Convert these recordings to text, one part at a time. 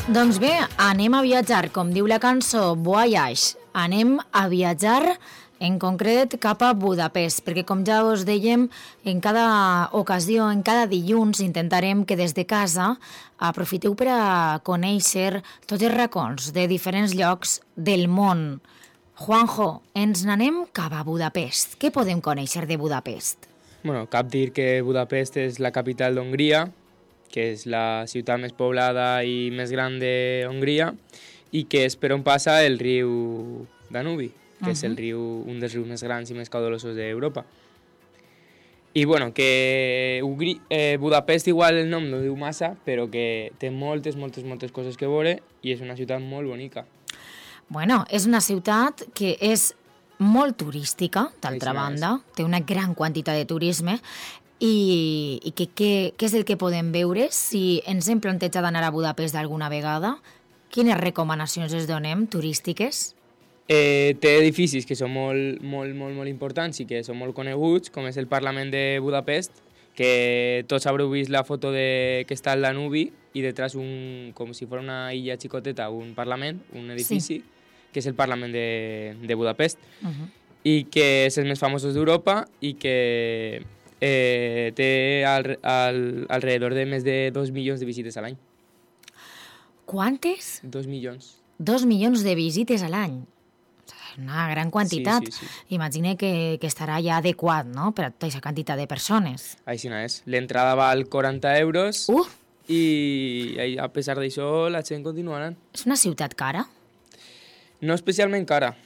Doncs bé, anem a viatjar, com diu la cançó Voyage. Anem a viatjar en concret cap a Budapest, perquè com ja us dèiem, en cada ocasió, en cada dilluns, intentarem que des de casa aprofiteu per a conèixer tots els racons de diferents llocs del món. Juanjo, ens n'anem cap a Budapest. Què podem conèixer de Budapest? Bueno, cap dir que Budapest és la capital d'Hongria, que és la ciutat més poblada i més gran de Hongria, i que és per on passa el riu Danubi, que és el riu, un dels rius més grans i més caudalosos d'Europa. I bueno, que Budapest igual el nom no diu massa, però que té moltes coses que veure i és una ciutat molt bonica. Bueno, és una ciutat que és molt turística, d'altra banda, té una gran quantitat de turisme. I què és el que podem veure? Si ens hem plantejat d'anar a Budapest alguna vegada, quines recomanacions es donem turístiques? Té edificis que són molt importants i que són molt coneguts, com és el Parlament de Budapest, que tots haureu vist la foto que està al Danubi i detrás, com si fos una illa xicoteta, un parlament, un edifici, que és el Parlament de Budapest, i que és els més famosos d'Europa i que té alrededor de més de 2 milions de visites a l'any. Quantes? 2 milions. 2 milions de visites a l'any. Una gran quantitat. Sí. Imagina que estarà ja adequat, no?, per a aquesta quantitat de persones. Així no és. L'entrada val 40 euros i a pesar d'això la gent continua anant. És una ciutat cara? No especialment cara.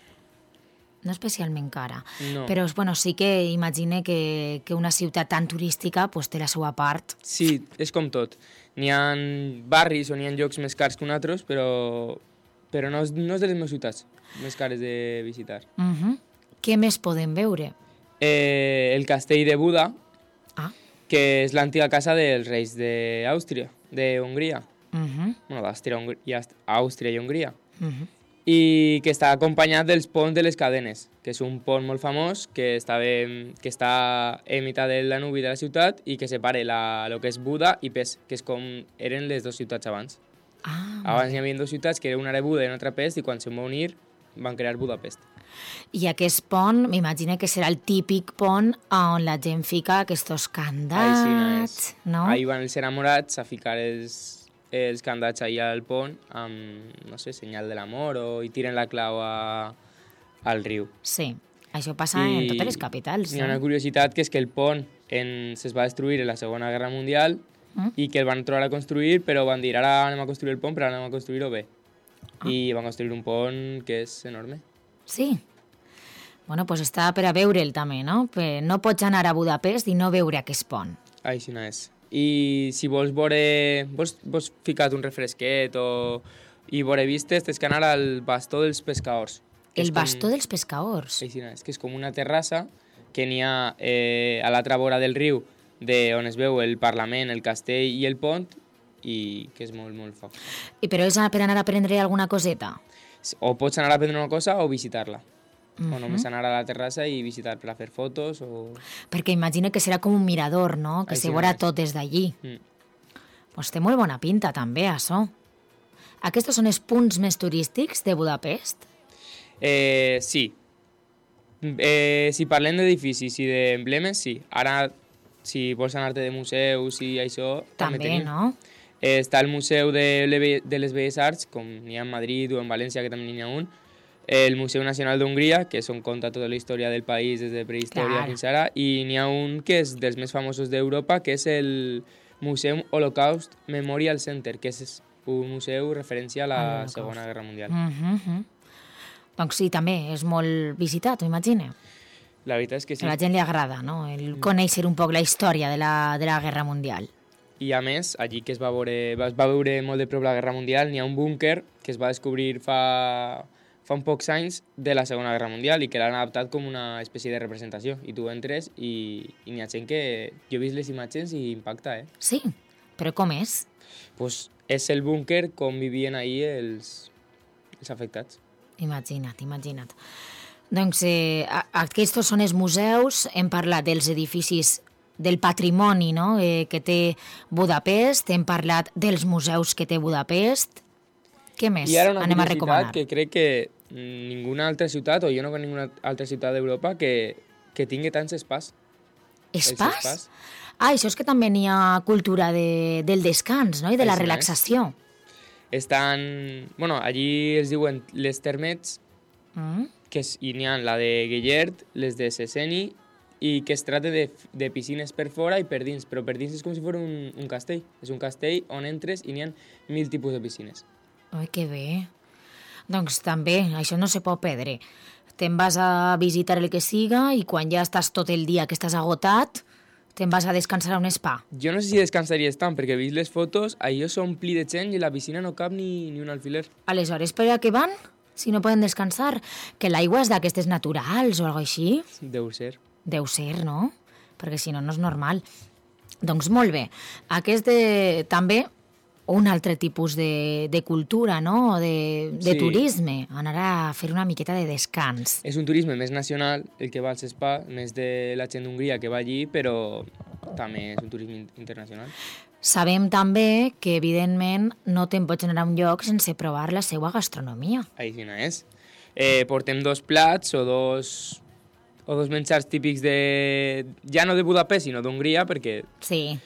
No especialment cara. No. Però bueno, sí que imagine que una ciutat tan turística pues, té la seva part. Sí, és com tot. N'hi ha barris o n'hi ha llocs més cars que altres, però no és de les meves ciutats més cares de visitar. Què més podem veure? El castell de Buda, que és l'antiga casa dels reis d'Àustria, d'Hongria. Bueno, d'Àustria i Hongria. I que està acompanyat dels ponts de les cadenes, que és un pont molt famós que està en meitat del Danubi de la ciutat i que separa el que és Buda i Pest, que és com eren les dues ciutats abans. Abans hi havia dues ciutats, que una era Buda i una altra Pest, i quan se'n va unir van crear Budapest. I aquest pont, m'imagino que serà el típic pont on la gent fica aquests candats, no? Ahí van els enamorats a ficar els candats allà al pont amb, no sé, senyal de l'amor i tiren la clau al riu. Sí, això passa en totes les capitals. Hi ha una curiositat, que és que el pont es va destruir en la Segona Guerra Mundial i que el van trobar a construir, però van dir, ara anem a construir el pont, però ara anem a construir-ho bé. I van construir un pont que és enorme. Sí. Bueno, doncs està per a veure'l també, no? No pots anar a Budapest i no veure aquest pont. Així no és. I si vols ficar un refresquet i veure vistes, tens que anar al Bastó dels Pescadors. El Bastó dels Pescadors? Així no és, que és com una terrassa que n'hi ha a l'altra vora del riu, on es veu el Parlament, el castell i el pont, i que és molt fort. I però és per anar a prendre alguna coseta? O pots anar a prendre una cosa o visitar-la. O només anar a la terrassa i visitar per a fer fotos o... Perquè imagino que serà com un mirador, no?, que se veurà tot des d'allí. Pues té molt bona pinta també, això. Aquests són els punts més turístics de Budapest? Sí. Si parlem d'edificis i d'emblemes, sí. Ara, si vols anar-te de museus i això... També, no? Està el Museu de les Belles Arts, com n'hi ha en Madrid o en València, que també n'hi ha un. El Museu Nacional d'Hongria, que és on conta tota la història del país des de prehistòria fins ara, i n'hi ha un que és dels més famosos d'Europa, que és el Museum Holocaust Memorial Center, que és un museu referència a la Segona Guerra Mundial. Doncs sí, també és molt visitat, ho imagino. La veritat és que sí. A la gent li agrada, no?, el conèixer un poc la història de la Guerra Mundial. I a més, allí que es va veure molt de prop la Guerra Mundial, n'hi ha un búnquer que es va descobrir fa uns pocs anys de la Segona Guerra Mundial i que l'han adaptat com una espècie de representació. I tu entres i n'hi ha gent que... Jo he vist les imatges i impacta, Sí? Però com és? Pues és el búnquer com vivien ahir els afectats. Imagina't. Doncs aquests són els museus, hem parlat dels edificis del patrimoni, no?, que té Budapest, hem parlat dels museus que té Budapest. Què més I ara una anem a recomanar? curiositat que crec que ninguna altra ciutat, o jo no conec ninguna altra ciutat d'Europa que tingui tants spas. Spas? Ah, això és que també n'hi ha cultura del descans, no? I de la relaxació. Estan... Bueno, allí es diuen les termets, que i n'hi ha la de Guillert, les de Seseni, i que es tracta de piscines per fora i per dins, però per dins és com si fos un castell. És un castell on entres i n'hi ha 1000 tipus de piscines. Ai, que bé. Doncs també, això no se pot perdre. Te'n vas a visitar el que siga i quan ja estàs tot el dia que estàs agotat, te'n vas a descansar a un spa. Jo no sé si descansaries tant, perquè he vist les fotos, allò s'ompli de gent i la piscina no cap ni un alfiler. Aleshores, per a què van? Si no poden descansar? Que l'aigua és d'aquestes naturals o alguna així? Deu ser. Deu ser, no? Perquè si no, no és normal. Doncs molt bé. També un altre tipus de cultura, no? De turisme. Anar a fer una miqueta de descans. És un turisme més nacional, el que va als spa, més de la gent d'Hongria que va allí, però també és un turisme internacional. Sabem també que, evidentment, no te'n pots anar a un lloc sense provar la seva gastronomia. Així no és. Portem 2 plats o dos menjars típics ja no de Budapest, sinó d'Hongria, perquè... Sí.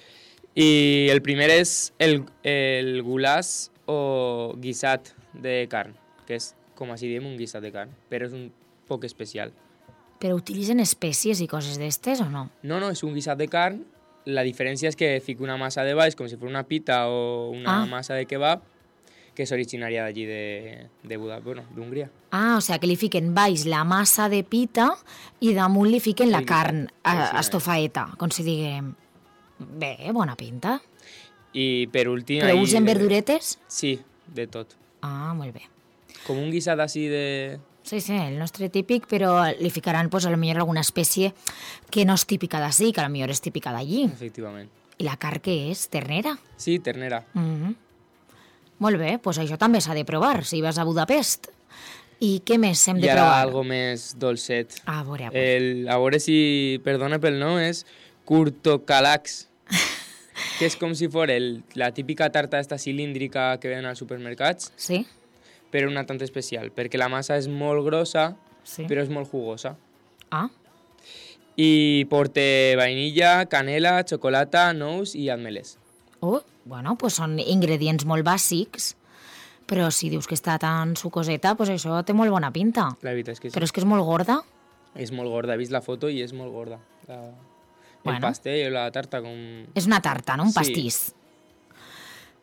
I el primer és el gulaç o guisat de carn, que és, com així diem, un guisat de carn, però és un poc especial. Però utilitzen espècies i coses d'estes o no? No, és un guisat de carn. La diferència és que fica una massa de baix, com si fos una pita o una massa de kebab, que és originària d'allí d'Hongria. Ah, o sigui que li fiquen baix la massa de pita i damunt li fiquen la carn estofaeta, com si diguem. Bé, bona pinta. I per últim... Però usen verduretes? Sí, de tot. Ah, molt bé. Com un guisat així de... Sí, el nostre típic, però li ficaran, pues, a lo millor alguna espècie que no és típica d'ací, que a lo millor és típica d'allí. Efectivament. I la carn què és? Ternera? Sí, ternera. Molt bé, doncs això també s'ha de provar, si vas a Budapest. I què més hem de provar? I ara algo més dolcet. A veure. A veure si, perdona pel nom, és kurtokalax, que és com si fos la típica tarta esta cilíndrica que venen als supermercats. Sí. Però una tant especial, perquè la massa és molt grossa, però és molt jugosa. Ah. I porta vainilla, canela, xocolata, nous i ametlles. Bueno, pues són ingredients molt bàsics, però si dius que està tan sucoseta, pues això té molt bona pinta. La veritat és que sí. Però és que és molt gorda? És molt gorda, he vist la foto i és molt gorda. El pastell o la tarta com... És una tarta, no? Un pastís.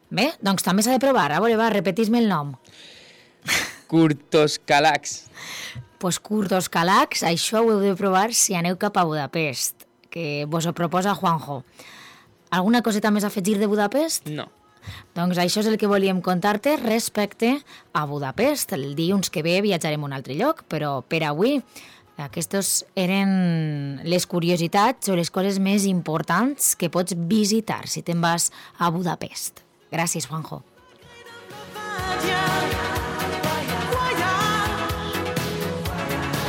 Bé, doncs també s'ha de provar. A veure, repetís-me el nom. Kurtoskalax. Pues Kurtoskalax, això ho heu de provar si aneu cap a Budapest, que vos ho proposa Juanjo. Alguna coseta més a afegir de Budapest? No. Doncs això és el que volíem contar-te respecte a Budapest. El dilluns que ve viatjarem a un altre lloc, però per avui aquestes eren les curiositats o les coses més importants que pots visitar si te'n vas a Budapest. Gràcies, Juanjo.